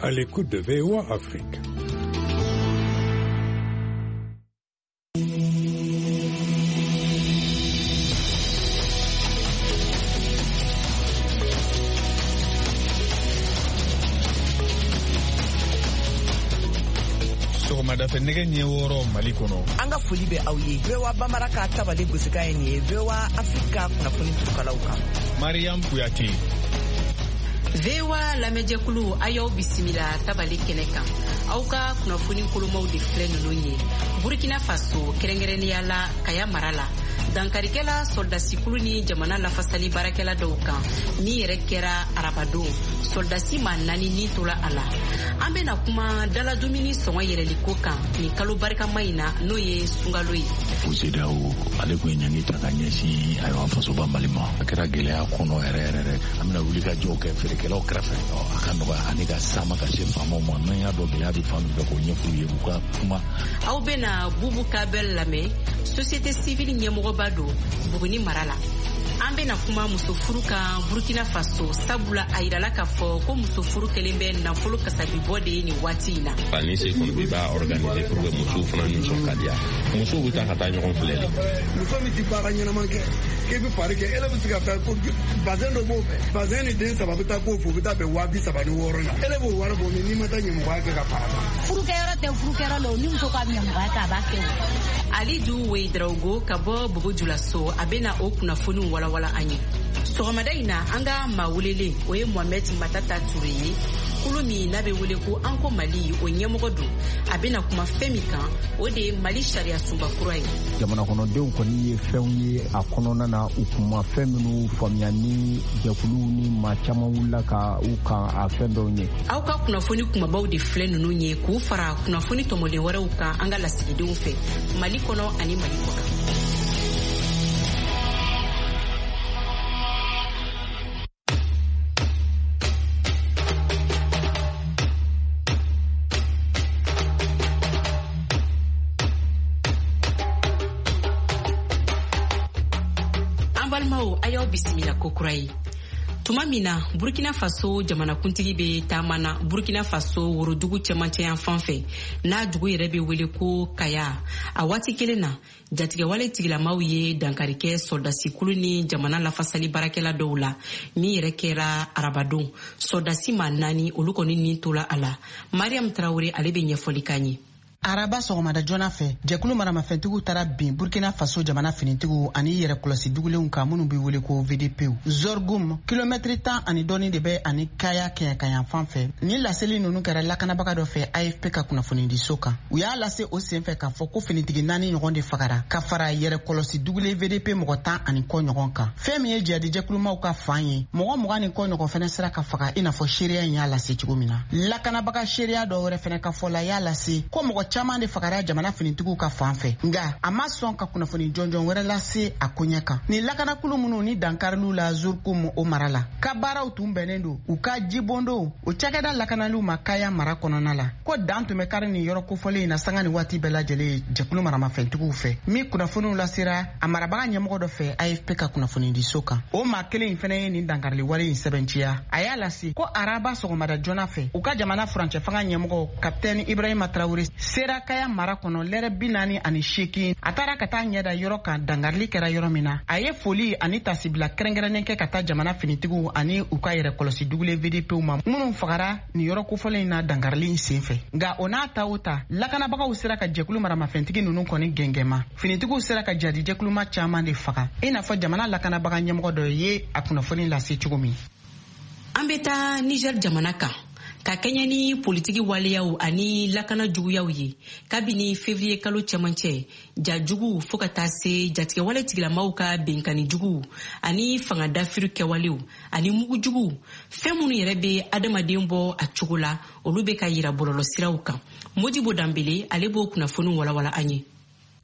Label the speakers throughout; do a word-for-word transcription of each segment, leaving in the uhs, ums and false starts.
Speaker 1: À l'écoute de V O A Afrique.
Speaker 2: Sɔgɔmada fɛ nɛgɛ ɲɛ wɔɔrɔ Mali kɔnɔ.
Speaker 3: An ka foli bɛ aw ye. V O A Bambara ka tabale gosikan ye nin ye V O A Afrique kunnafoni turukalaw kan.
Speaker 2: Mariam Kuyate.
Speaker 4: V O A lamɛnjɛkulu a y'aw bisimila tabale kɛnɛ kan. Aw ka kunnafoni kolomaw de filɛ ninnu ye. Burkina Faso kɛrɛnkɛrɛnnenya la Kaya mara la. Dankarikɛla sɔrɔdasikulu ni jamana lafasali baarakɛla dɔw kan min yɛrɛ kɛra arabadon sɔrɔdasi maa naani ni tora a la. An bɛna kuma daladumuni sɔngɔ yɛlɛliko kan nin kalo barikama in na n'o ye sunkalo ye.
Speaker 5: CEDEAO ale tun ye ɲangi ta ka ɲɛsin ayiwa fasoba Mali ma. A kɛra gɛlɛya kɔnɔ yɛrɛ yɛrɛ dɛ. An bɛna wuli ka jɔw kɛ feerekɛlaw kɛrɛfɛ. A ka nɔgɔya ani ka sama ka se faamaw ma. N'an y'a dɔn gɛlɛya bɛ fan min fɛ k'o ɲɛf'u ye u ka kuma.
Speaker 4: Aw bɛna Bubu Kabel lamɛn société civile ɲɛmɔgɔba don Buguni mara la. An bɛna kuma muso furu kan Burkina Faso sabula a yirala k'a fɔ ko muso furu kɛlen bɛ nafolo kasabibɔ de ye nin waati in na.
Speaker 6: Ani se kɔni bɛ b'a organiser pour que musow fana nisɔn ka diya. Musow bɛ taa ka taa ɲɔgɔn filɛ de.
Speaker 7: Muso min ti baara ɲɛnama kɛ k'e bɛ fari kɛ e bɛ se ka taa ko bazɛn dɔ b'o fɛ bazɛn ni den saba bɛ taa k'o fɛ u bɛ taa bɛn waa bi saba ni wɔɔrɔ la e b'o wari bɔ min n'i ma taa ɲɛmɔgɔya kɛ ka fara kan.
Speaker 8: Furukɛyɔrɔ tɛ furukɛyɔrɔ la o ni muso ka ɲɛmɔgɔya kɛ a b'a kɛ o.
Speaker 4: Alidu Wedraogo ka bɔ Bobo Julaso a bɛna o kunnafoniw walawala an ye. Sɔgɔmada in na an ka maa welelen o ye Mohamed Matata Ture ye. Kulu min n'a bɛ wele ko An ko Mali o ɲɛmɔgɔ don. A bɛna kuma fɛn min kan o de ye Mali sariya sunba kura ye.
Speaker 9: Jamana kɔnɔdenw kɔni ye fɛnw ye a kɔnɔna na u kun ma fɛn minnu faamuya ni jɛkuluw ni maa caman wulila ka u kan a fɛn dɔw ye.
Speaker 4: Aw ka kunnafoni kumabaw de filɛ ninnu ye k'u fara kunnafoni tɔmɔlen wɛrɛw kan an ka lasigidenw fɛ Mali kɔnɔ ani Mali kɔkan. Balimaw a y'aw bisimila ko kura ye. Tuma min na Burkina Faso jamanakuntigi bɛ taama na Burkina Faso worodugu cɛmancɛ yan fan fɛ n'a dugu yɛrɛ bɛ wele ko Kaya. A waati kelen na jatigɛwale tigilamaw ye dankari kɛ sɔrɔdasikulu ni jamana lafasali baarakɛla dɔw la min yɛrɛ kɛra arabadon. Sɔrɔdasi maa naani olu kɔni ni tora a la. Mariam Traore ale bɛ ɲɛfɔli k'an ye.
Speaker 10: Araba sɔgɔmada joona fɛ jɛkulu maramafɛntigiw taara bin Burkina Faso jamana finitigiw ani yɛrɛkɔlɔsi dugulenw kan minnu bɛ wele ko V D P. Zorgum kilomɛtiri tan ani dɔɔni de bɛ ani Kaya kɛɲɛkayan fan fɛ. Ni laseli ninnu kɛra lakanabaga dɔ fɛ A F P ka kunnafonidiso kan. U y'a lase o senfɛ k'a fɔ ko finitigi naani ɲɔgɔn de fagara ka fara yɛrɛkɔlɔsi dugulen V D P mɔgɔ tan ani kɔ ɲɔgɔn kan. Fɛn min ye jihadijɛkulumaw ka fan ye mɔgɔ mugan ni kɔ ɲɔgɔn fɛnɛ sera ka faga i n'a fɔ seereya in y'a lase cogo min na. Lakanabaga seereya dɔ wɛrɛ fɛnɛ ka fɔ la y'a lase ko mɔgɔ caman de fagara jamana finitigiw ka fan fɛ nka a ma sɔn ka kunnafoni jɔnjɔn wɛrɛ lase a koɲɛ kan. Ni lakanakulu minnu ni dankariliw la Zurkum o mara la ka baaraw tun bɛnnen don u ka jibondon o cakɛda lakanaliw ma Kaya mara kɔnɔna la ko dan tun bɛ kari nin yɔrɔ kofɔlen in na sanga ni waati bɛɛ lajɛlen jɛkulu maramafɛntigiw fɛ min kunnafoniw lasera a marabaga ɲɛmɔgɔ dɔ fɛ A F P ka kunnafonidiso kan. O maa kelen in fɛnɛ ye nin dankarili wale in sɛbɛntiya. A y'a lase ko araba sɔgɔmada joona fɛ u ka jamana furancɛ fanga ɲɛmɔgɔ kapitɛni Ibrahima Traore sera Kaya mara kɔnɔ lɛrɛ bi naani ani seegin. A taara ka taa ɲɛda yɔrɔ kan dankarili kɛra yɔrɔ min na. A ye foli ani tasibila kɛrɛnkɛrɛnnen kɛ ka taa jamana finitigiw ani u ka yɛrɛkɔlɔsi dugulen V D Pw ma minnu fagara nin yɔrɔ kofɔlen in na dankarili in senfɛ. Nka o n'a ta o ta lakanabagaw sera ka jɛkulu maramafɛntigi ninnu kɔni gɛngɛma. Finitigiw sera ka jadijɛkuluma caman de faga i n'a fɔ jamana lakanabaga ɲɛmɔgɔ dɔ ye a kunnafoni lase cogo min.
Speaker 4: An bɛ taa Niger jamana kan. Ka kɛɲɛ ni politiki waleyaw ani lakana juguyaw ye kabini février kalo cɛmancɛ ja juguw fo ka taa se jatigɛwale tigilamaw ka benkani juguw ani fanga dafiri kɛwalew ani mugu juguw fɛn minnu yɛrɛ bɛ adamaden bɔ a cogo la olu bɛ ka yira bɔlɔlɔsiraw kan. Modibo Danbele ale b'o kunnafoniw walawala an ye.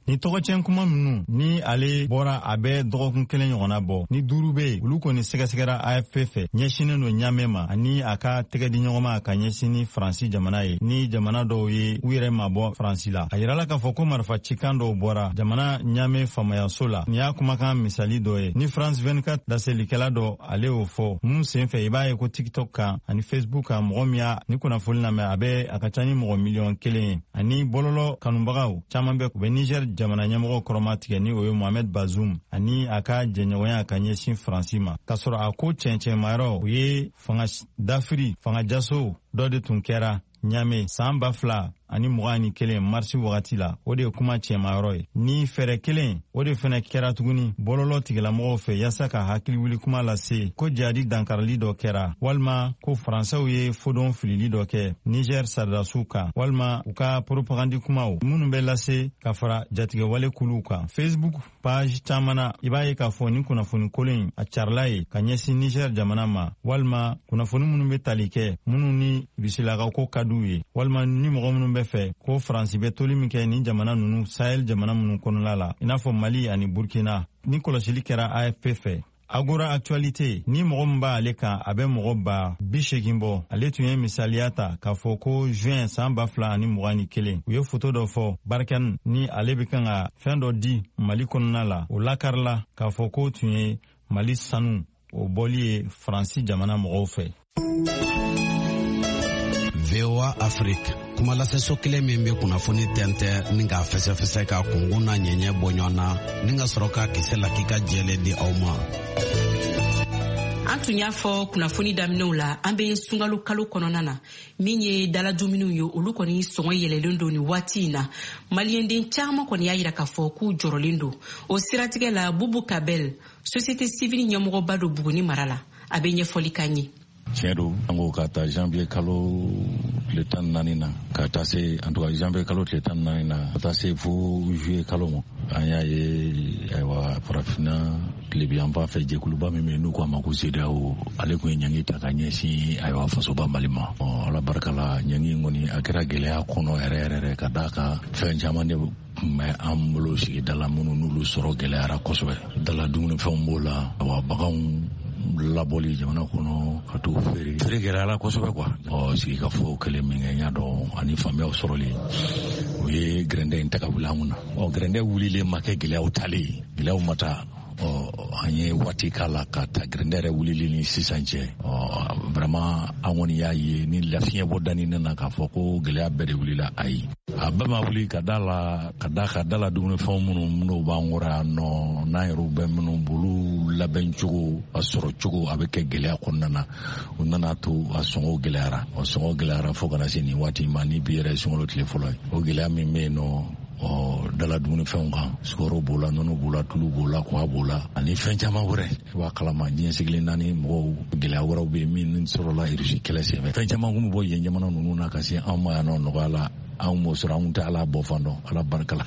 Speaker 11: Ni tɔgɔcɛn kuma minnu ni ale bɔra, a bɛ dɔgɔkun kelen ɲɔgɔnna bɔ, ni duuru bɛ yen, olu kɔni sɛgɛsɛgɛra A F P fɛ, ɲɛsinnen don Ɲamɛ ma ani a ka tɛgɛdiɲɔgɔnma ka ɲɛsin ni Faransi jamana ye, ni jamana dɔw ye u yɛrɛ mabɔ Faransi la. A yirala k'a fɔ ko marifa cikan dɔw bɔra jamana Ɲamɛ faamayaso la. Nin y'a kumakan misali dɔ ye ni France vingt-quatre laselikɛla dɔ ale y'o fɔ mun senfɛ. I b'a ye ko TikTok kan ani Facebook kan, mɔgɔ min y'a ni kunnafoni lamɛn, a bɛ a ka ca ni mɔgɔ miliyɔn kelen ye. Ani bɔlɔlɔ kanubagaw caman bɛ u bɛ Niger jamana ɲɛmɔgɔ kɔrɔma tigɛ, ni o ye Mohamed Bazoum ani a ka jɛɲɔgɔnya ka ɲɛsin Faransi ma, k'a sɔrɔ a ko cɛncɛnmayɔrɔ o ye fanga dafiri, fanga jaso dɔ de tun kɛra Ɲame san ba fila ani mugan ni kelen marisi wagati la. O de ye kuma cɛmayɔrɔ ye. Ni fɛɛrɛ kelen o de fɛnɛ kɛra tuguni bɔlɔlɔ tigilamɔgɔw fɛ yaasa ka hakili wuli kuma lase ko jadi dankarili dɔ kɛra, walima ko faransɛw ye fodon filili dɔ kɛ Niger saridasiw kan, walima u ka propagandi kumaw minnu bɛ lase ka fara jatigɛwale kuluw kan. Facebook page caman na, i b'a ye k'a fɔ ni kunnafoni kolon in a carila ye ka ɲɛsin Niger jamana ma, walima kunnafoni minnu bɛ tali kɛ minnu ni rusilakaw ko ka d'u ye, walima ni mɔgɔ minnu bɛ fɛ ko Faransi bɛ toli min kɛ nin jamana ninnu, Sahel jamana minnu kɔnɔna la, i n'a fɔ Mali ani Burkina. Ni kɔlɔsili kɛra A F P fɛ, Agora Actualité, ni mɔgɔ min b'ale kan, a bɛ mɔgɔ ba bi seegin bɔ. Ale tun ye misaliya ta k'a fɔ ko juin san ba fila ani mugan ni kelen, u ye foto dɔ fɔ Barkhane ni ale bɛ kan ka fɛn dɔ di Mali kɔnɔna la, o lakarila k'a fɔ k'o tun ye Mali sanu o bɔli ye Faransi jamana mɔgɔw fɛ.
Speaker 12: V O A Afrique, kuma laseso kelen min bɛ kunnafoni tɛntɛn ni k'a fɛsɛfɛsɛ ka kunkun n'a ɲɛɲɛ bɔ ɲɔgɔn na ni ka sɔrɔ k'a kisɛ lakika jɛlen di aw ma.
Speaker 4: An tun y'a fɔ kunnafoni daminɛw la, an bɛ sunkalo kalo kɔnɔna na, min ye daladumuniw ye, olu kɔni sɔngɔ yɛlɛlen don nin waati in na. Maliyɛnden caman kɔni y'a yira k'a fɔ k'u jɔrɔlen don o siratigɛ la. Bubu Kabel, société civile ɲɛmɔgɔba don Buguni mara la, a bɛ ɲɛfɔli k'an ye.
Speaker 5: Tiɲɛ don, an ko ka taa janvier kalo tile tan ni naani na ka taa se, en tout cas janvier kalo tile tan ni naani na ka taa se fo juillet kalo ma, an y'a ye ayiwa farafinna tilebiyanfan fɛ jɛkuluba min bɛ yen n'u k'a ma ko CEDEAO, ale tun ye ɲangi ta ka ɲɛsin ayiwa fasoba Mali ma. Ala barika la, ɲangi in kɔni a kɛra gɛlɛya kɔnɔ yɛrɛ yɛrɛ yɛrɛ, ka d'a kan fɛn caman de tun bɛ an bolo sigida la minnu n'olu sɔrɔ gɛlɛyara kosɛbɛ. Dala dumunifɛnw b'o la, awa baganw labɔli jamana kɔnɔ ka t'u feere, feere gɛlɛyara kosɛbɛ quoi. Ɔ sigikafɔ kɛlen min kɛ, n y'a dɔn ani faamuyaw sɔrɔli, o ye gɛrɛndɛ in ta ka wuli an kunna. Ɔ gɛrɛndɛ wulilen ma kɛ gɛlɛyaw talen ye, gɛlɛyaw ma taa. Ɔ an ye waati k'a la ka ta gɛrɛndɛ yɛrɛ wulili ni sisan cɛ. Ɔ vraiment an kɔni y'a ye ni lafiɲɛ bɔ danni nana k'a fɔ ko gɛlɛya bɛɛ de wulila, ayi, a bɛɛ ma wuli, ka da la ka da ka da la dumunifɛnw minnu n'o b'an kɔrɔ yan nɔ, n'an yɛrɛw bɛ minnu bolo labɛn cogo a sɔrɔ cogo a bɛ kɛ gɛlɛya kɔnɔna na. O nana to a sɔngɔ gɛlɛyara, a sɔngɔ gɛlɛyara fo kana se nin waati ma, ni bi yɛrɛ sunkalo tile fɔlɔ ye. O gɛlɛya min bɛ yen nɔ, ɔ dala dumunifɛnw kan, sukaro b'o la, nɔnɔ b'o la, tulu b'o la, kɔgɔ b'o la, ani fɛn caman wɛrɛ. I b'a kalama diɲɛ sigilen naani mɔgɔw gɛlɛya wɛrɛw bɛ yen min sɔrɔla Irisi kɛlɛ senfɛ. Fɛn caman kun bɛ bɔ yen jamana ninnu na ka se anw ma yan nɔ nɔgɔya la, anw m'o sɔrɔ, anw tɛ Ala bɔ fan dɔn, Ala barika la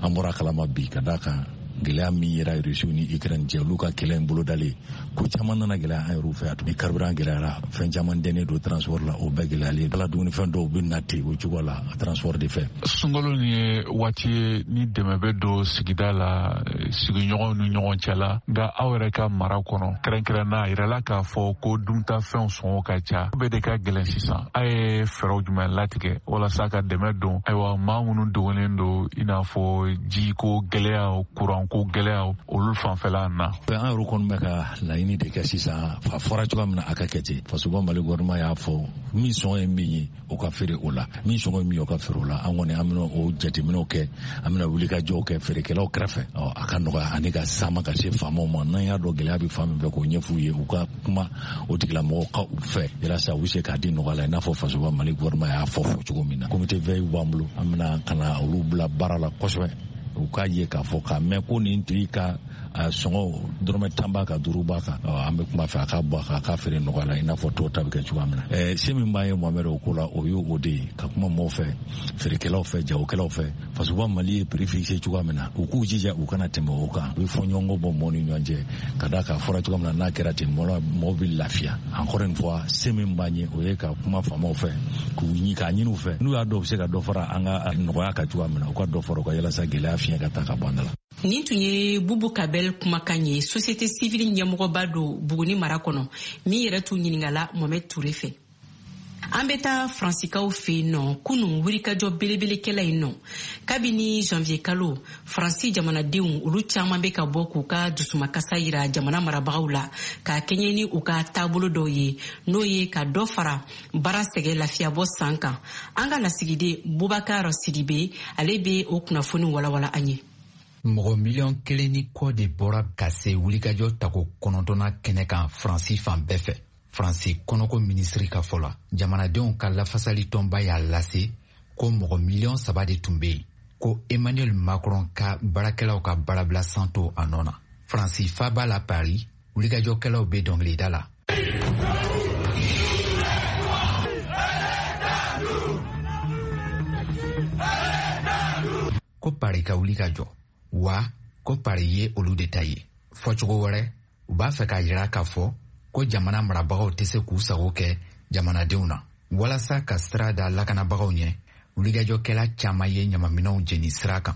Speaker 5: an bɔra kalama bi, ka d'a kan gɛlɛya min yera Irisiw ni Ukraine cɛ, olu ka kɛlɛ in bolodalen, ko caman nana gɛlɛya an yɛrɛw fɛ yan. Ni carburant gɛlɛyara, fɛn caman dɛnnen don transport la, o bɛɛ gɛlɛyalen. Ala dumunifɛn dɔw bɛ na ten o cogo la transport de fɛ.
Speaker 13: Sunkalo nin ye waati ye ni dɛmɛ bɛ don sigida la, sigiɲɔgɔnw ni ɲɔgɔn cɛ la, nka aw yɛrɛ ka mara kɔnɔ kɛrɛnkɛrɛnna, a yirala k'a fɔ ko duntafɛnw sɔngɔ ka ca, bɛɛ de ka gɛlɛn sisan. A ye fɛɛrɛw jumɛn latigɛ walasa ka dɛmɛ don ayiwa maa minnu dogolen don, i n'a fɔ jiko gɛlɛyaw, kuran ko gɛlɛyaw, olu fanfɛla na?
Speaker 5: An yɛrɛ kɔni bɛ ka laɲini de kɛ sisan, a fɔra cogoya min na a ka kɛ ten. Fasoba Mali gouvernement y'a fɔ min sɔngɔ ye min ye o ka feere o la, min sɔngɔ ye min ye o ka feere o la. An kɔni an bɛna o jateminɛw kɛ, an bɛna wulikajɔw kɛ feerekɛlaw kɛrɛfɛ, a ka nɔgɔya ani ka sama ka se faamaw ma. N'an y'a dɔn gɛlɛya bɛ fan min fɛ, k'o ɲɛf'u ye, u ka kuma o tigilamɔgɔw ka u fɛ yalasa u bɛ se k'a di nɔgɔya la, i n'a fɔ fasoba Mali gouvernement y'a fɔ fɔ cogo min na. Comité veille b'an bolo, an bɛna ka na olu bila baara la kosɛbɛ, u k'a ye k'a fɔ k'a mɛn ko nin tigi ka sɔngɔ dɔrɔmɛ tan b'a kan, duuru b'a kan, an bɛ kuma fɛ a ka bɔ a kan, a k'a feere nɔgɔya la i n'a fɔ tɔw ta bɛ kɛ cogoya min na. Se min b'an ye Mohamɛd o ko la, o ye o de ye, ka kuma mɔgɔw fɛ, feerekɛlaw fɛ, jagokɛlaw fɛ. Fasoba Mali ye prix fixé cogoya min na, u k'u jija u kana tɛmɛ o kan. U bɛ fɔɲɔgɔnkɔ bɔ mɔgɔw ni ɲɔgɔn cɛ, ka d'a kan a fɔra cogoya min na, n'a kɛra ten mɔgɔw bɛ lafiya. Encore une fois, se min b'an ye o ye ka kuma faamaw fɛ, k'u ɲini k'a ɲini u fɛ, n'u y'a dɔn u bɛ se ka dɔ fara an ka nɔgɔya kan cogoya min na, u ka dɔ fara u ka yalasa gɛlɛya fiɲɛ ka taa ka bɔ an da la.
Speaker 4: Nin tun ye Bubu Kabel kumakan ye, société civile ɲɛmɔgɔba don Buguni mara kɔnɔ, min yɛrɛ tun ɲininkala Mohamed Touré fɛ. An bɛ taa Faransikaw fɛ yen nɔ, kunun wulikajɔ belebelekɛla yen nɔ. Kabini janvier kalo, Faransi jamanadenw olu caman bɛ ka bɔ k'u ka dusumakasa yira jamana marabagaw la, k'a kɛɲɛ ni u ka taabolo dɔw ye, n'o ye ka dɔ fara baara sɛgɛn lafiyabɔ san kan. An ka lasigiden Bubakar Sidibe, ale bɛ o kunnafoni walawala an ye.
Speaker 14: Mɔgɔ miliyɔn kelen ni kɔ de bɔra ka se wulikajɔ tako kɔnɔntɔnna kɛnɛ kan Faransi fan bɛɛ fɛ. Faransi kɔnɔko minisiri ka fɔ la, jamanadenw ka lafasali tɔnba y'a lase ko mɔgɔ miliyɔn saba de tun bɛ yen, ko Emmanuel Macron ka baarakɛlaw ka baarabila san to a nɔ na. Faransi faaba la Paris, wulikajɔkɛlaw bɛ dɔnkilida la. Ko Paris ka wuli ka jɔ, wa ko Paris ye olu de ta ye. Fɔcogo wɛrɛ, u b'a fɛ k'a jira k'a fɔ ko jamana marabagaw tɛ se k'u sago kɛ jamanadenw na. Walasa ka sira da lakanabagaw ɲɛ, wulikajɔkɛla caman ye ɲamaminɛnw jeni sira kan.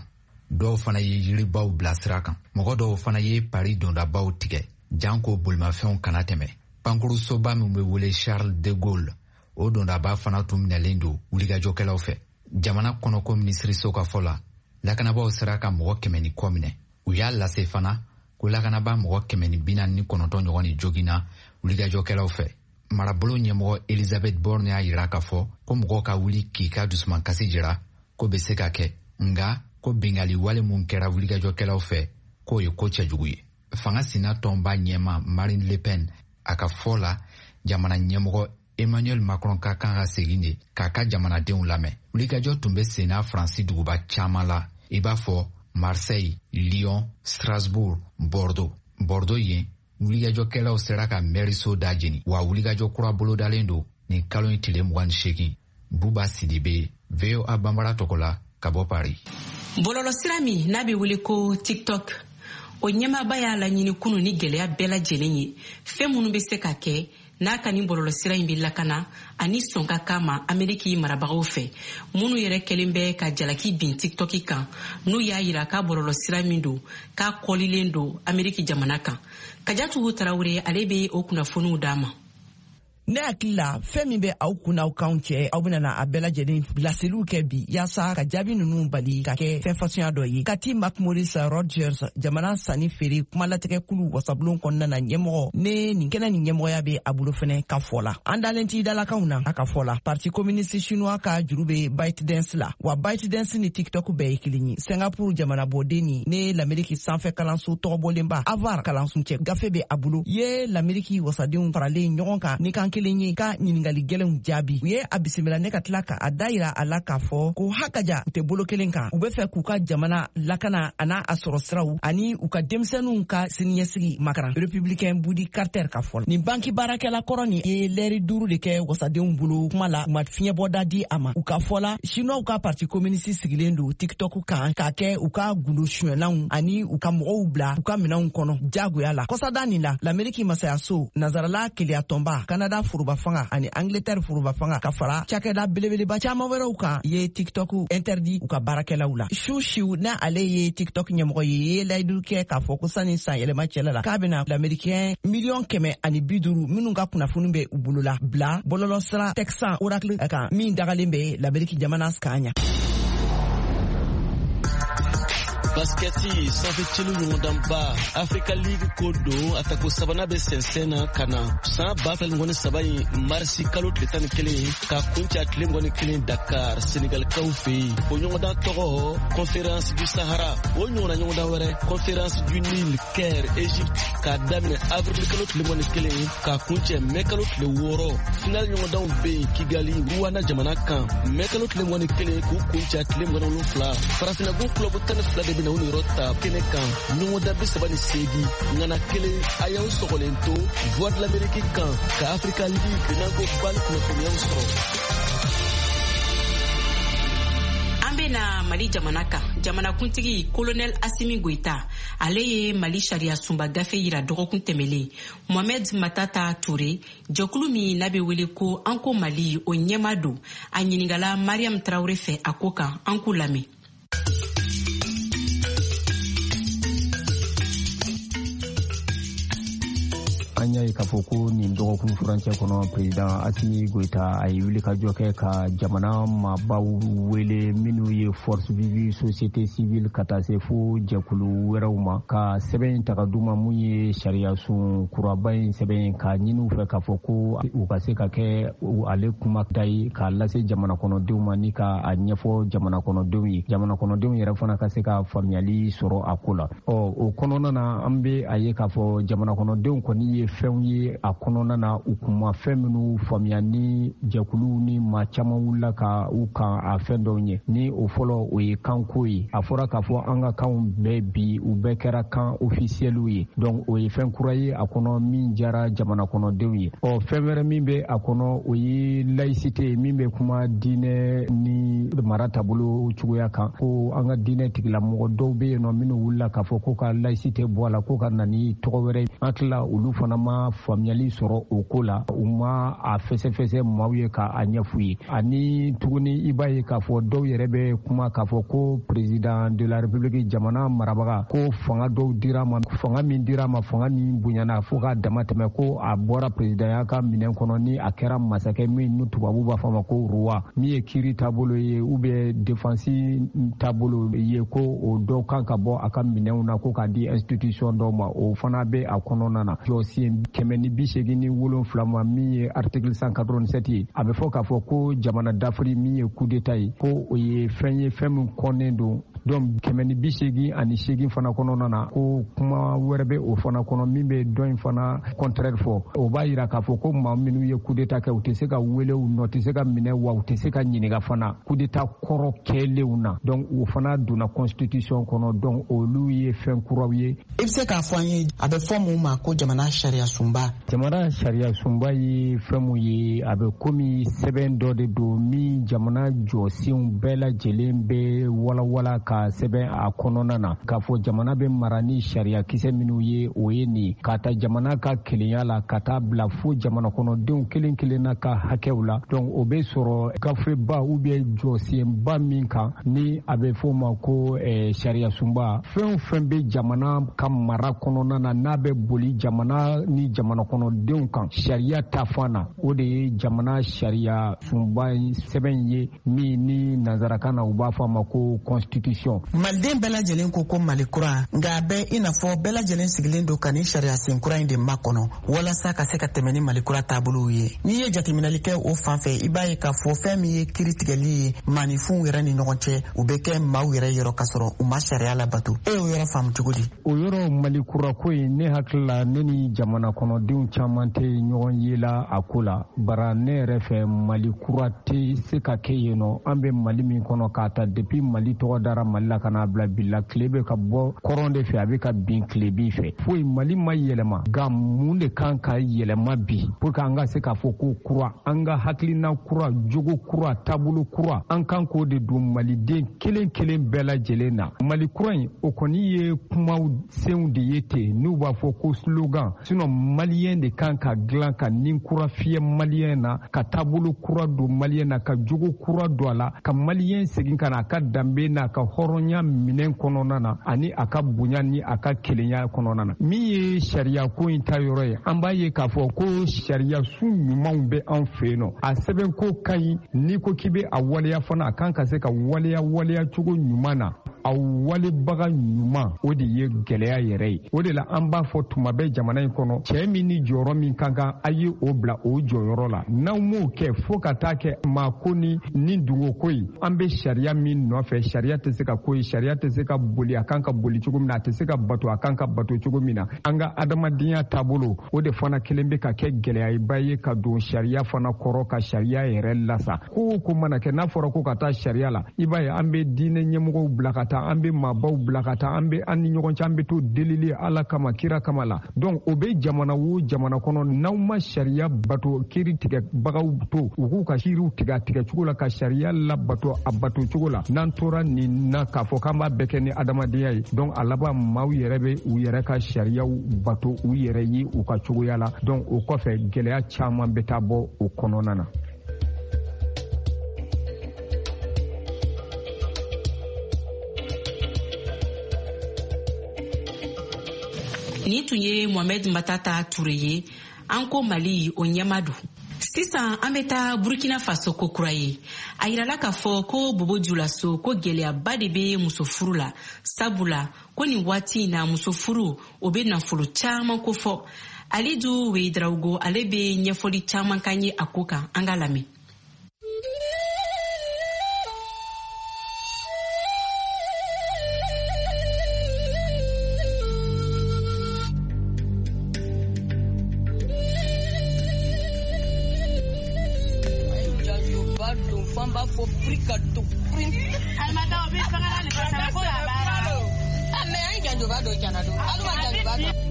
Speaker 14: Dɔw fana ye yiribaw bila sira kan. Mɔgɔ dɔw fana ye Paris dondabaw tigɛ, janko bolimafɛnw kana tɛmɛ. Pankurusoba min bɛ wele Charles de Gaulle, o dondaba fana tun minɛlen don wulikajɔkɛlaw fɛ. Jamana kɔnɔko minisiriso ka fɔ la, lakanabaaw sera ka mɔgɔ kɛmɛ ni kɔ minɛ. U y'a lase fana ko lakanaba mɔgɔ kɛmɛ ni bi naani ni kɔnɔntɔn ɲɔgɔn de joginna wulikajɔkɛlaw fɛ. Marabolo ɲɛmɔgɔ Elizabeth Borne y'a jira k'a fɔ ko mɔgɔw ka wuli k'i ka dusumakasi jira ko bɛ se ka kɛ, nka ko binkanni wale mun kɛra wulikajɔkɛlaw fɛ k'o ye ko cɛjugu ye. Fanga sina tɔnba ɲɛma Marine Le Pen, a ka fɔ la, jamana ɲɛmɔgɔ Emmanuel Macron ka kan ka segin de k'a ka jamanadenw lamɛn. Wulikajɔ tun bɛ senna Faransi duguba caman la, i b'a fɔ Marseille, Lyon, Strasbourg, Bordeaux. Bordeaux yen, wulikajɔkɛlaw sera ka mɛriso da jeni, wa wulikajɔ kura bolodalen don nin kalo in tile mugan ni seegin. Buba Sidibe, V O A Bambara tɔgɔ la ka bɔ Paris.
Speaker 4: Bɔlɔlɔsira min n'a bɛ wele ko TikTok, o ɲɛmaaba y'a laɲini kunun ni gɛlɛya bɛɛ lajɛlen ye, fɛn minnu bɛ se ka kɛ n'a ka nin bɔlɔlɔsira in bɛ lakana ani sɔn ka k'a ma Ameriki marabagaw fɛ, minnu yɛrɛ kɛlen bɛ ka jalaki bin TikTok kan, n'u y'a yira k'a bɔlɔlɔsira min don k'a kɔlilen don Ameriki jamana kan. Kajatu Tarawele, ale bɛ o kunnafoniw d'a ma.
Speaker 3: Ne hakili la fɛn min bɛ aw kun n'aw kanw cɛ, aw bɛna a bɛɛ lajɛlen laseliw kɛ bi yaasa ka jaabi ninnu bali ka kɛ fɛn fasuguya dɔ ye. Kati McMorris Rogers, jamana sanni feere kumalatigɛkulu wasabulon kɔnɔna na ɲɛmɔgɔ, ne nin kɛnɛ nin ɲɛmɔgɔya bɛ a bolo fɛnɛ ka fɔ la. An dalen t'i dalakanw na a ka fɔ la. Parti communiste chinois ka juru bɛ ByteDance la, wa ByteDance ni TikTok bɛɛ ye kelen ye. Singapore jamana bɔden ni ne l'Ameriki sanfɛ kalanso tɔgɔbɔlenba Harvard kalanso cɛ gafe bɛ a bolo ye l'Ameriki wasadenw faralen ɲɔgɔn kan ni kan kelen ye ka ɲininkali gɛlɛnw jaabi. U ye a bisimila ne ka tila ka a da yira a la k'a fɔ ko hakaja u tɛ bolo kelen kan, u bɛ fɛ k'u ka jamana lakana a n'a a sɔrɔ siraw ani u ka denmisɛnninw ka siniɲɛsigi makaran. Républicain Budi Carter ka fɔ la, nin banki baarakɛla kɔrɔ nin ye lɛri duuru de kɛ wasadenw bolo kuma la, u ma fiɲɛbɔda di a ma. U ka fɔ la, Chinois ka parti communiste sigilen don TikTok kan k'a kɛ u ka gundo suɲɛlanw ani u ka mɔgɔw bila u ka minɛnw kɔnɔ jagoya la. Kɔsada nin la, l'Ameriki masayaso, Nazarala keleyatɔnba, Canada foroba fanga ani Angleterre foroba fanga ka fara cakɛda belebeleba caman wɛrɛw kan ye TikTok interdit u ka baarakɛlaw la. Su Siw n'a ale ye TikTok ɲɛmɔgɔ ye, ye layidu kɛ k'a fɔ ko sanni san yɛlɛma cɛla la k'a bɛna l'Américain miliyɔn kɛmɛ ani bi duuru minnu ka kunnafoni bɛ u bolo la bila bɔlɔlɔsira Texan Oracle kan min dagalen bɛ l'Amérique jamana kan ɲa.
Speaker 15: Basketi sanfɛ celu ɲɔgɔndanba Africa League ko don a tako sabanan bɛ sɛnsɛn na ka na san ba fila ni mugan ni saba in marisi kalo tile tan ni kelen ka kuncɛ tile mugan ni kelen Dakar Senegalikaw fɛ yen. O ɲɔgɔndan tɔgɔ Conférence du Sahara. O ɲɔgɔnna ɲɔgɔndan wɛrɛ Conférence du Nil Caire Égypte k'a daminɛ avril kalo tile mugan ni kelen k'a kuncɛ mɛ kalo tile wɔɔrɔ. Final ɲɔgɔndanw bɛ yen Kigali Rwanda jamana kan mɛ kalo tile mugan ni kelen k'u kuncɛ tile mugan ni wolonfila. Farafinna gun kulɔbu tan ni fila de bɛ na u niyɔrɔ ta kɛnɛ kan ɲɔgɔndan bi saba ni seegin ŋana kelen a y'aw sɔgɔlen to Voix de l'Amérique kan ka Africa League n'an ko bali kunnafoniyaw sɔrɔ.
Speaker 4: An bɛ na Mali jamana kan, jamanakuntigi Colonel Assimi Goïta, ale ye Mali sariya sunba gafe yira dɔgɔkun tɛmɛlen. Mohamed Matata Touré, jɛkulu min n'a bɛ wele ko An ko Mali, o ɲɛma don. A ɲininkala Mariam Traoré fɛ a ko kan, an k'u lamɛn.
Speaker 9: An y'a ye k'a fɔ ko nin dɔgɔkun furancɛ kɔnɔ, président Assimi Goïta a ye wulikajɔ kɛ ka jamana maabaw wele minnu ye force vive, société civile, ka taa se fo jɛkulu wɛrɛw ma, ka sɛbɛn in ta ka d'u ma mun ye sariya sun kuraba in sɛbɛn, k'a ɲini u fɛ k'a fɔ ko u ka se ka kɛ ale kuma ta ye k'a lase jamana kɔnɔdenw ma ni ka a ɲɛfɔ jamana kɔnɔdenw ye, jamana kɔnɔdenw yɛrɛ fana ka se ka faamuyali sɔrɔ a ko la. Ɔ, o kɔnɔna na, an bɛ a ye k'a fɔ jamana kɔnɔdenw kɔni ye fɛnw ye a kɔnɔna na, u kun ma fɛn minnu faamuya, ni jɛkuluw ni maa caman wulila ka u kan a fɛn dɔw ye. Ni o fɔlɔ, o ye kanko ye. A fɔra k'a fɔ an ka kanw bɛɛ bi, u bɛɛ kɛra kan ofisiyɛliw ye. Donc o ye fɛn kura ye a kɔnɔ min diyara jamana kɔnɔdenw ye. Ɔ, fɛn wɛrɛ min bɛ a kɔnɔ, o ye laïcité min bɛ kuma diinɛ ni mara taabolo cogoya kan, ko an ka diinɛ tigilamɔgɔ dɔw bɛ yen nɔ minnu wulila k'a fɔ ko ka laïcité bɔ a la, ko ka na ni tɔgɔ wɛrɛ. An tila olu fana ma faamuyali sɔrɔ o ko la, u ma a fɛsɛfɛsɛ maaw ye k'a ɲɛf'u ye. Ani tuguni, i b'a ye k'a fɔ dɔw yɛrɛ bɛ kuma k'a fɔ ko président de la République, jamana marabaga, ko fanga dɔw dira ma, fanga min dira ma, fanga min bonyana fo k'a dama tɛmɛ, ko a bɔra présidentya ka minɛn kɔnɔ ni a kɛra masakɛ min ni tubabu b'a fɔ ma ko roi, min ye kiiri taabolo ye ou bien défense taabolo ye, ko o dɔw kan ka bɔ a ka minɛnw na ko k'a di institution dɔw ma. O fana bɛ a kɔnɔna na. Jɔsen kɛmɛ ni bi seegin ni wolonfila ma, min ye article cent quatre-vingt-sept ye, a bɛ fɔ k'a fɔ ko jamana dafiri min ye coup d'état ye, ko o ye fɛn ye, fɛn min kɔnnen don. Donc kɛmɛ ni bi seegin ani seegin fana kɔnɔna na, ko kuma wɛrɛ bɛ o fana kɔnɔ min bɛ dɔ in fana contraire fɔ. O b'a yira k'a fɔ ko maa minnu ye coup d'état kɛ, u tɛ se ka wele, u nɔ tɛ se ka minɛ, wa u tɛ se ka ɲininka fana coup d'état kɔrɔ kɛlenw na. Donc o fana donna constitution kɔnɔ. Donc olu ye fɛn kuraw ye.
Speaker 10: I bɛ se k'a fɔ an ye, a bɛ fɔ mun ma ko jamana sariya sunba?
Speaker 9: Jamana sariya sunba ye fɛn mun ye, a bɛ komi sɛbɛn dɔ de don min jamana jɔsenw bɛɛ lajɛlen bɛ walawala ka sɛbɛn a kɔnɔna na, k'a fɔ jamana bɛ mara ni sariya kisɛ minnu ye, o ye nin, ka ta jamana ka kelenya la ka taa bila fo jamana kɔnɔdenw kelen kelenna ka hakɛw la. Donc o bɛ sɔrɔ gafeba ou bien jɔsenba min kan ni a bɛ fɔ o ma ko eh, sariya sunba. Fɛn o fɛn bɛ jamana ka mara kɔnɔna na n'a bɛ boli jamana ni jamana kɔnɔdenw kan sariya ta fan na, o de ye jamana sariya sunba sɛbɛn ye, min ni nanzarakan na u b'a fɔ a ma ko constitution.
Speaker 10: Maliden bɛɛ lajɛlen ko ko Mali kura, nka a bɛ i n'a fɔ bɛɛ lajɛlen sigilen don ka nin sariya sen kura in de makɔnɔ walasa ka se ka tɛmɛ ni Mali kura taabolow ye. N'i ye jateminɛli kɛ o fan fɛ, i b'a ye k'a fɔ fɛn min ye kiiri tigɛli ye maaninfinw yɛrɛ ni ɲɔgɔn cɛ, u bɛ kɛ maaw yɛrɛ yɔrɔ ka sɔrɔ u ma sariya labato. E y'o yɔrɔ faamu cogo di?
Speaker 9: O yɔrɔ Mali kura ko in, ne hakili la, ne ni jamana kɔnɔdenw caman tɛ ɲɔgɔn ye la a ko la. Bara ne yɛrɛ fɛ, Mali kura tɛ se ka kɛ yen nɔ. An bɛ Mali min kɔnɔ, k'a ta depuis Mali tɔgɔ dara Mali la ka n'a bila bi la, tile bɛ ka bɔ kɔrɔn de fɛ, a bɛ ka bin tilebin fɛ, foyi Mali ma yɛlɛma. Nka mun de kan ka yɛlɛma bi pour que an ka se k'a fɔ ko kura, an ka hakilina kura, jogo kura, taabolo kura, an kan k'o de don maliden kelen kelen bɛɛ lajɛlen na? Mali kura in, o kɔni ye kumaw senw de ye ten n'u b'a fɔ ko slogan. Sinon maliyɛn de kan ka dilan ka nin kura fiyɛ maliyɛn na, ka taabolo kura don maliyɛn na, ka jogo kura don a la, ka maliyɛn segin ka na a ka danbe n'a ka hɔrɔnya minɛn kɔnɔna na, ani a ka bonya ni a ka kelenya kɔnɔna na. Min ye sariya ko in ta yɔrɔ ye, an b'a ye k'a fɔ ko sariya sun ɲumanw bɛ an fɛ yen nɔ. A sɛbɛn ko ka ɲi, n'i ko k'i bɛ a waleya fana, a kan ka se ka waleya waleya cogo ɲuman na. A walebaga ɲuman, o de ye gɛlɛya yɛrɛ ye. O de la an b'a fɔ tuma bɛɛ, jamana in kɔnɔ, cɛɛ min ni jɔyɔrɔ min kan kan, a ye o bila o jɔyɔrɔ la. N'aw m'o kɛ, fo ka taa kɛ maa ko ni ni dungo ko ye, an bɛ sariya min nɔfɛ, sariya tɛ se ka ko ye, sariya tɛ se ka boli a kan ka boli cogo min na, a tɛ se ka bato a kan ka bato cogo min na. An ka adamadenya taabolo, o de fana kelen bɛ ka kɛ gɛlɛyaba ye ka don sariya fana kɔrɔ, ka sariya yɛrɛ lasa. Ko o ko mana kɛ, n'a fɔra ko ka taa sariya la, i b'a ye an bɛ diinɛ ɲɛmɔgɔw bila ka taa, an bɛ maabaw bila ka taa, an bɛ an ni ɲɔgɔn cɛ, an bɛ to delili Ala kama, kira kama la. Donc o bɛ jamana o jamana kɔnɔ, n'aw ma sariya bato, kiiri tigɛbagaw to u k'u ka kiiriw tigɛ a tigɛcogo la, ka sariya labato a bato cogo la, n'an tora nin na k'a fɔ k'an b'a bɛɛ kɛ ni adamadenya ye, donc a laban maaw yɛrɛ bɛ u yɛrɛ ka sariyaw bato u yɛrɛ ye u ka cogoya la. Donc o kɔfɛ, gɛlɛya caman bɛ taa bɔ o kɔnɔna na.
Speaker 4: Nin tun ye Mohamed Matata Ture ye, an ko Mali o ɲɛma don. Sisan an bɛ taa Burkina Faso ko kura ye. A yirala k'a fɔ ko Bobo Julaso ko gɛlɛyaba de bɛ muso furu la, sabula ko nin waati in na muso furu o bɛ nafolo caman kofɔ. Alidu Wedraogo ale bɛ ɲɛfɔli caman k'an ye a ko kan, an k'a lamɛn.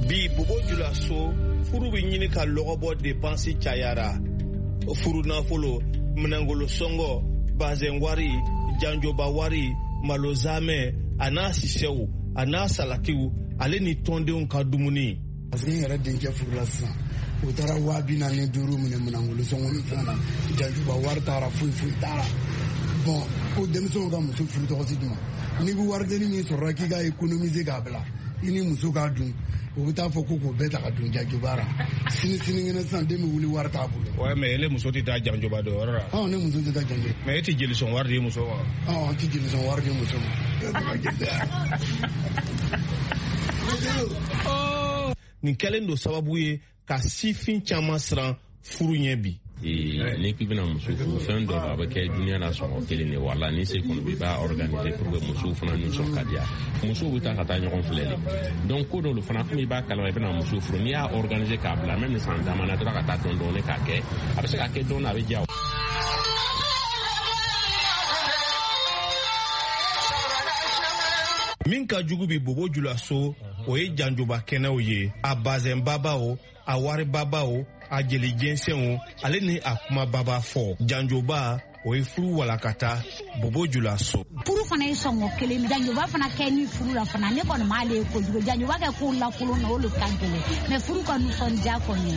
Speaker 16: Bi Bobo Julaso furu bɛ ɲini ka lɔgɔ bɔ depansi cayara. Furu nafolo, minɛngolo sɔngɔ, bazɛn wari, janjoba wari, malo zamɛ, a n'a sisɛw, a n'a salatiw, ale ni tɔndenw ka dumuni.
Speaker 7: Parce que n yɛrɛ denkɛ furula sisan, u taara waa bi naani ni duuru minɛ minɛngolo sɔngɔ ni fɛn na, janjoba wari taara, foyi foyi taara. Bon, ko denmisɛnw ka muso furu tɔgɔ si d'u ma. N'i bɛ waridennin min sɔrɔ k'i ka économiser k'a bila, i ni muso k'a dun, u bɛ taa fɔ ko k'o bɛɛ ta ka dun janjoba la. Sini sinikɛnɛ sisan den bɛ wuli wari t'a bolo.
Speaker 16: Ouais, mais ele muso tɛ taa janjoba dɔn yɔrɔ la.
Speaker 7: Ɔ, ne muso tɛ taa janjoba.
Speaker 16: Mais e tɛ jelisɔn wari di muso ma.
Speaker 7: Ɔ, n tɛ jelisɔn wari di muso ma.
Speaker 16: Nin kɛlen don sababu ye ka sifin caman siran furu ɲɛ bi.
Speaker 6: N'i k'i bɛna muso furu, fɛn dɔ a bɛ kɛ dunuya la sɔngɔ kelen de, wala ni se kɔni bɛ i b'a organiser pour que musow fana nisɔn ka diya. Musow bɛ taa ka taa ɲɔgɔn filɛ de, donc ko dɔw fana komi i b'a kalama i bɛna muso furu, n'i y'a organiser k'a bila même ni san caman na tora ka taa dɔɔni dɔɔni k'a kɛ, a bɛ se ka kɛ dɔɔni a bɛ diya.
Speaker 16: Min ka jugu bi Bobo Julaso, o ye janjoba kɛnɛw ye, a bazɛnbaba o, a waribaba o, a jeli jɛnsɛnw, ale ni a kumababa fɔ. Janjoba o ye furu walakata Bobo Julaso.
Speaker 8: Furu fana ye sɔngɔ kelen, janjoba fana kɛ ni furu la fana, ne kɔni m'ale ye kojugu. Janjoba kɛ ko lakolon na o le ka gɛlɛn, mais furu ka nisɔndiya kɔni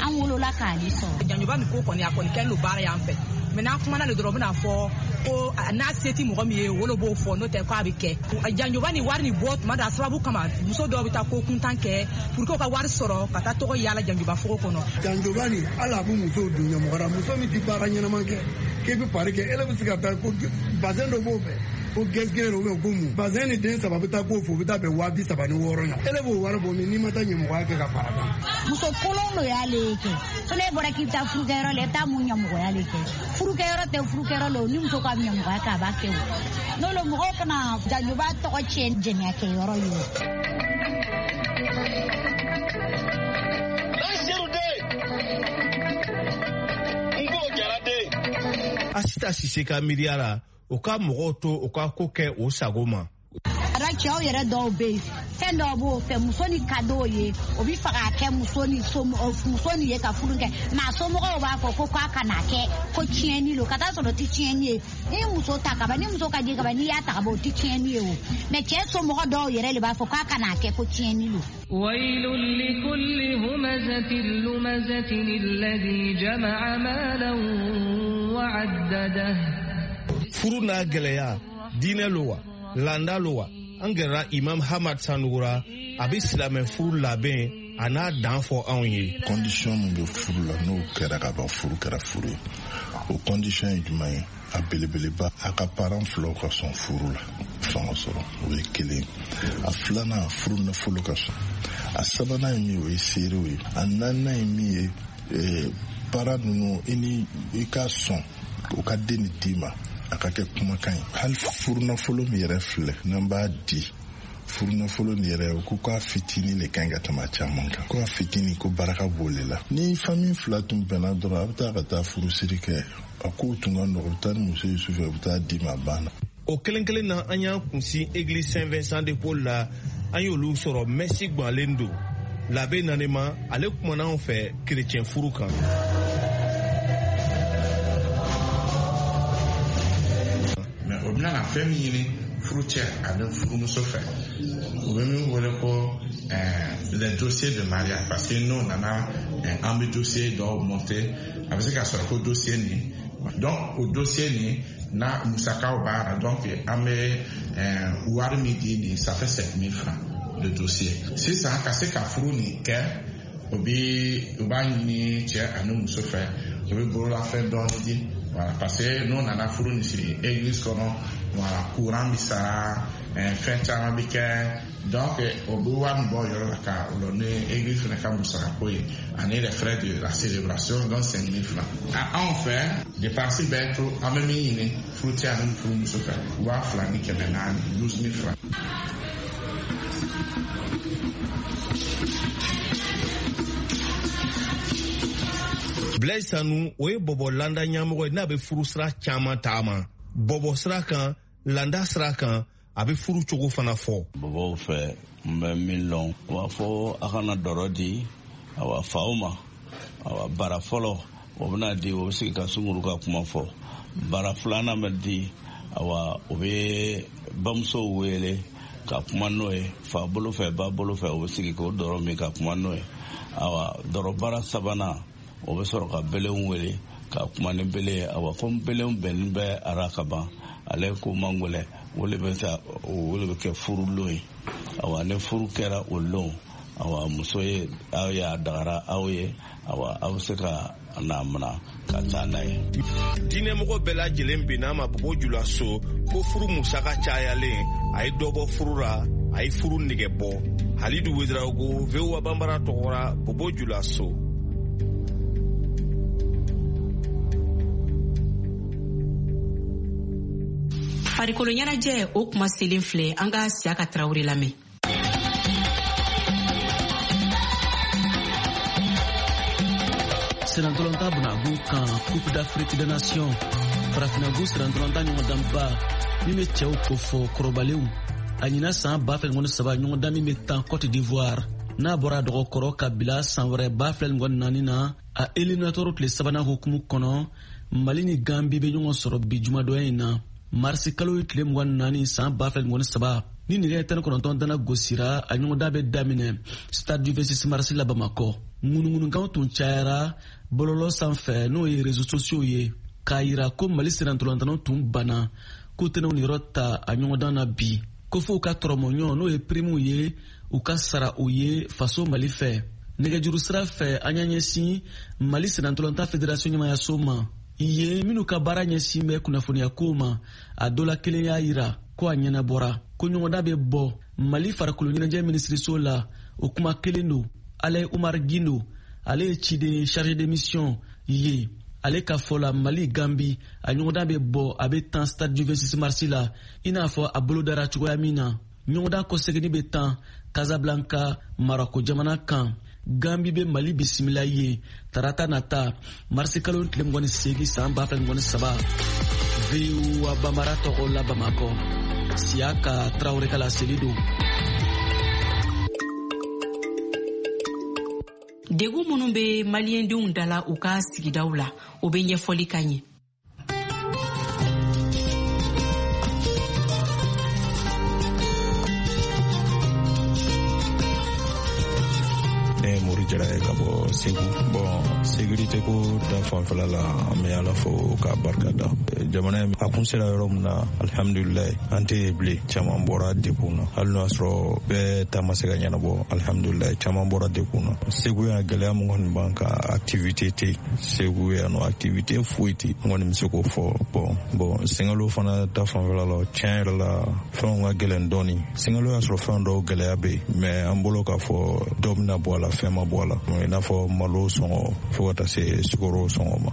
Speaker 8: an wolola k'ale sɔrɔ.
Speaker 17: Janjoba nin ko kɔni a kɔni kɛlen don baara y'an fɛ. Mais n'an kumana le dɔrɔn, u bɛna fɔ ko n'a se tɛ mɔgɔ min ye, o le b'o fɔ, n'o tɛ k'a bɛ kɛ. Janjoba ni wari nin bɔ tuma dɔ a sababu kama, muso dɔw bɛ taa ko kuntan kɛ pour que u ka wari sɔrɔ ka taa tɔgɔ yaala janjoba fogo kɔnɔ.
Speaker 7: Janjoba nin hali a bɛ musow don ɲɛmɔgɔ la, muso min tɛ baara ɲɛnama kɛ k'e bɛ pari kɛ, e bɛ se ka taa ko bazɛn dɔ b'o fɛ, ko gɛsɛgɛ ou bien ko mun, bazɛn ni den saba bɛ taa k'o fɔ, u bɛ taa bɛn waa bi saba ni wɔɔrɔ la. E b'o wari bɔ min n'i ma taa ɲɛmɔgɔya kɛ ka fara kan.
Speaker 8: Muso kolon lo y'ale kɛ, fo n'e bɔra k'i bɛ taa furukɛyɔrɔ la, i bɛ taa mun ɲɛmɔgɔya le kɛ. Furukɛyɔrɔ tɛ furukɛyɔrɔ la, ni muso ka ɲɛmɔgɔya kɛ a b'a kɛ o. N'o lo mɔgɔw kana janjoba tɔgɔ tiɲɛ jɛnɛyakɛyɔrɔ ye o.
Speaker 16: Asita Sise ka miiriya la, o ka mɔgɔw to o ka ko kɛ o sago ma.
Speaker 8: A cɛw yɛrɛ dɔw bɛ yen, fɛn dɔw b'o fɛ, muso ni ka d'o ye, o bɛ fɛ k'a kɛ muso ni muso ni ye ka furu kɛ, mais a somɔgɔw b'a fɔ ko k'a kana kɛ, ko tiɲɛni lo, ka taa sɔrɔ o tɛ tiɲɛni ye. Ni muso ta kaban, ni muso ka di kaban, n'i y'a ta kaban, o tɛ tiɲɛni ye o. Mais cɛ somɔgɔ dɔw yɛrɛ de b'a fɔ k'a kana kɛ ko tiɲɛni lo.
Speaker 18: ويل لكل همزة لمزة الذي جمع مالا وعدده.
Speaker 16: Furu n'a gɛlɛya, diinɛ lo wa, landa lo wa? An gɛrɛra Imam Hamad Sanugura, a bɛ silamɛ furu labɛn a n'a dan fɔ anw ye.
Speaker 19: Condition min bɛ furu la, n'o kɛra ka ban, furu kɛra furu ye. O condition ye jumɛn ye? A belebeleba, a ka parent filaw ka sɔn furu la, fanga sɔrɔ, o ye kelen. A filanan, furu nafolo ka sɔn. A sabanan ye min ye, o ye seerew ye. A naaninan ye min ye, parent ninnu i ni i ka sɔn o ka den ni d'i ma, a ka kɛ kumakan ye. Hali furunafolo min yɛrɛ filɛ, n'an b'a di, furunafolo nin yɛrɛ, o ko k'a fitinin de ka ɲi ka tɛmɛ a caman kan, ko a fitinin ko baraka b'o le la. Ni famille fila tun bɛnna dɔrɔn, a bɛ taa ka taa furusiri kɛ, a kow tun ka nɔgɔ, u bɛ taa ni muso ye sufɛ, u bɛ taa d'i ma, a banna.
Speaker 16: O kelen kelen na, an y'an kunsin église Saint Vincent de Paul la, an y'olu sɔrɔ mɛsi gbalen don. Labe Nanema, ale kumana anw fɛ kerecɛn furu kan.
Speaker 20: O bɛna na fɛn min ɲini furu cɛ ani furumuso fɛ, u bɛ min wele ko les dossiers de mariage, parce que n'o nana, an bɛ dossier dɔw monter, a bɛ se ka sɔrɔ ko dossier nin, donc o dossier nin n'a musakaw b'a la, donc an bɛ wari min di nin, ça fait sept mille francs. le dossier. Sisan ka se ka furu nin kɛ, o bi u b'a ɲini cɛ ani muso fɛ, u bɛ bololafɛn dɔɔni di. Voilà, parce que n'o nana furu nin siri église kɔnɔ, voilà, courant bi sara, fɛn caman bi kɛ. Donc o bɛ wari min bɔ o yɔrɔ la ka o lɔ ni église fana ka musakako ye ani les frais de la célébration, donc cinq mille francs. Anw fɛ dépense bɛ to an bɛ min ɲini furucɛ ani furumuso fɛ, waa fila ni kɛmɛ naani, douze mille francs.
Speaker 16: Blaise Sanu, o ye bɔbɔ landa ɲɛmɔgɔ ye n'a bɛ furu sira caman taama. Bɔbɔ sira kan, landa sira kan, a bɛ furu cogo fana fɔ.
Speaker 21: Bɔbɔw fɛ, n bɛ min lɔn, u b'a fɔ a kana dɔrɔ di awa faw ma. Awa bara fɔlɔ o bɛna di, o bɛ sigi ka sunguru ka kuma fɔ. Bara filanan bɛ di, awa o bɛ bamusow wele ka kuma n'o ye, fa bolo fɛ, ba bolo fɛ, o bɛ sigi k'o dɔrɔ min ka kuma n'o ye. Awa dɔrɔ bara sabanan, o bɛ sɔrɔ ka belenw wele ka kuma ni bele ye. Awa ko belenw bɛnnen bɛ ara ka ban, ale ko man gɛlɛn, o de bɛ taa, o de bɛ kɛ furulon ye. Awa ni furu kɛra o lon, awa muso ye aw y'a dagara aw ye, awa aw bɛ se ka n'a mina ka taa n'a ye.
Speaker 16: Diinɛmɔgɔ bɛɛ lajɛlen bɛnna ma Bobo Julaso ko furu musaka cayalen a ye dɔ bɔ furu la, a ye furu nege bɔ. Halidu Wedraogo, V O A Banbara tɔgɔra, Bobo Julaso.
Speaker 4: Farikolo ɲɛnajɛ o kuma selen filɛ, an ka Siyaka Tarawele lamɛn.
Speaker 15: Senatɔlɔnta bunagun kan Coupe d'Afrique des Nations, farafinagun senatɔlɔnta ɲɔgɔndanba min bɛ cɛw kofɔ kɔrɔbalenw, a ɲinan san ba fila ni saba ɲɔgɔndan min bɛ tan Côte d'Ivoire, n'a bɔra dɔgɔkɔrɔ ka bila san wɛrɛ ba fila ni naani na, a éliminatoire tile sabanan hukumu kɔnɔ, Mali ni Gambi bɛ ɲɔgɔn sɔrɔ bi jumadɔnya in na. Marisi kalo ye tile mugan ni naani san ba fila ni saba ni nɛgɛ tan ni kɔnɔntɔn dana gosira, a ɲɔgɔndan bɛ daminɛ stade du vingt-six mars la Bamakɔ. Ŋunuŋunukanw tun cayara bɔlɔlɔ sanfɛ, n'o ye réseaux sociaux ye, k'a yira ko Mali sennantolatan tun banna k'u tɛna u niyɔrɔ ta a ɲɔgɔndan na bi, ko f'u ka tɔrɔmɔɲɔ n'o ye primiw ye, u ka sara u ye faso Mali fɛ. Nɛgɛjuru sira fɛ, an y'an ɲɛsin Mali sennantolatan fédération ɲɛmayaso ma ye minnu ka baara ɲɛsin bɛ kunnafoniya kow ma. A dɔ la kelen y'a yira ko a ɲɛnabɔra, ko ɲɔgɔndan bɛ bɔ Mali farikolo ɲɛnajɛ minisiriso la. O kuma kelen don. Alain Umar Gindo, ale ye ciden chargé de mission ye, ale ka fɔ la Mali Gambi a ɲɔgɔndan bɛ bɔ, a bɛ tan stade du vingt-six mars la, i n'a fɔ a bolo dara cogoya min na. Ɲɔgɔndan kɔseginni bɛ tan Casablanca, Marako jamana kan. Gambi bɛ Mali bisimila ye tarata nata marisi kalo tile mugan ni seegin san ba fila ni mugan ni saba. V O A Banbara tɔgɔ la Bamakɔ, Siyaka Tarawele ka laseli don.
Speaker 4: Degun minnu bɛ maliyɛndenw da la u ka sigidaw la, o bɛ ɲɛfɔli ka ɲɛ.
Speaker 22: Ne ye Mori Jara ye ka bɔ Segu. Bon, sécurité ko ta fanfɛla la, an bɛ Ala fo k'a barika da. Jamana in a kun sera yɔrɔ min na, alihamudulilayi, an tɛ yen bilen. Caman bɔra dekun na, hali n'o y'a sɔrɔ bɛɛ ta ma se ka ɲɛnabɔ, alihamudulilayi, caman bɔra dekun na. Segu yan, gɛlɛya min kɔni b'an kan, activité tɛ yen. Segu yan nɔ, activité foyi tɛ yen. N kɔni bɛ se k'o fɔ. Bon, bon, Singalo fana ta fanfɛla la, tiɲɛ yɛrɛ la, fɛnw ka gɛlɛn dɔɔni. Singalo y'a sɔrɔ fɛn dɔw gɛlɛya bɛ yen, mais an bolo k'a fɔ dɔ bɛna bɔ a la, fɛn ma bɔ a la, i n'a fɔ malo sɔngɔ fo ka taa se sukaro sɔngɔ ma.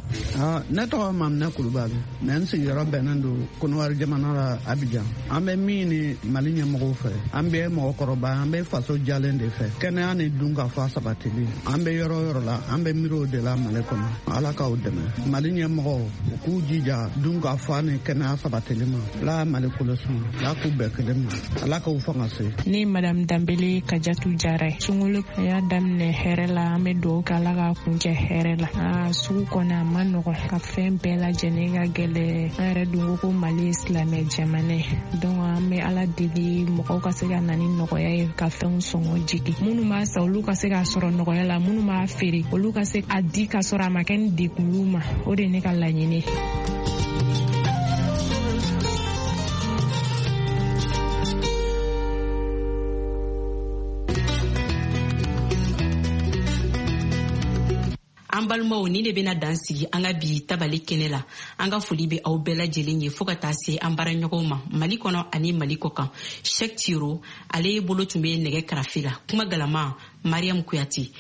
Speaker 23: Ne tɔgɔ Maminɛ Kulubali, mɛ n sigiyɔrɔ bɛnnen don Kɔnɔwari jamana la, Abidjan. An bɛ min ni Mali ɲɛmɔgɔw fɛ, an bɛ mɔgɔkɔrɔba, an bɛ faso jalen de fɛ, kɛnɛya ni dunkafa sabatili. An bɛ yɔrɔ o yɔrɔ la, an bɛ miiri o de la Mali kɔnɔ. Ala k'aw dɛmɛ. Mali ɲɛmɔgɔw, u k'u jija dunkafa ni kɛnɛya sabatili ma. Ala Mali kolosun, Ala k'u bɛɛ kelen ma, Ala k'u fanga se.
Speaker 24: Ne Madame Danbele Kajatu Jara ye. Sunkalo a y'a daminɛ hɛrɛ la, an bɛ dugawu kɛ Ala k'a kuncɛ hɛrɛ la. Aa, sugu kɔni a ma nɔgɔn, ka fɛn bɛɛ lajɛlen ka gɛlɛn. An yɛrɛ dun ko ko Mali ye silamɛ jamana ye, donc an bɛ Ala deli mɔgɔw ka se ka na ni nɔgɔya ye ka fɛnw sɔngɔ jigin. Minnu b'a san, olu ka se k'a sɔrɔ nɔgɔya la, minnu b'a feere, olu ka se a di ka sɔrɔ a ma kɛ ni degun y'u ma. O de ye ne ka laɲini ye.
Speaker 4: An balimaw, ni de bena dan sigi an ka bi tabali kɛnɛ la. An ka foli be aw bɛɛ lajɛlen ye, fɔɔ ka taa se an baaraɲɔgɔnw ma Mali kɔnɔ ani Mali kɔ kan. Shɛk Tiro, ale bolo tun be nɛgɛ karafe la. Kuma galama, Mariam Kuyate.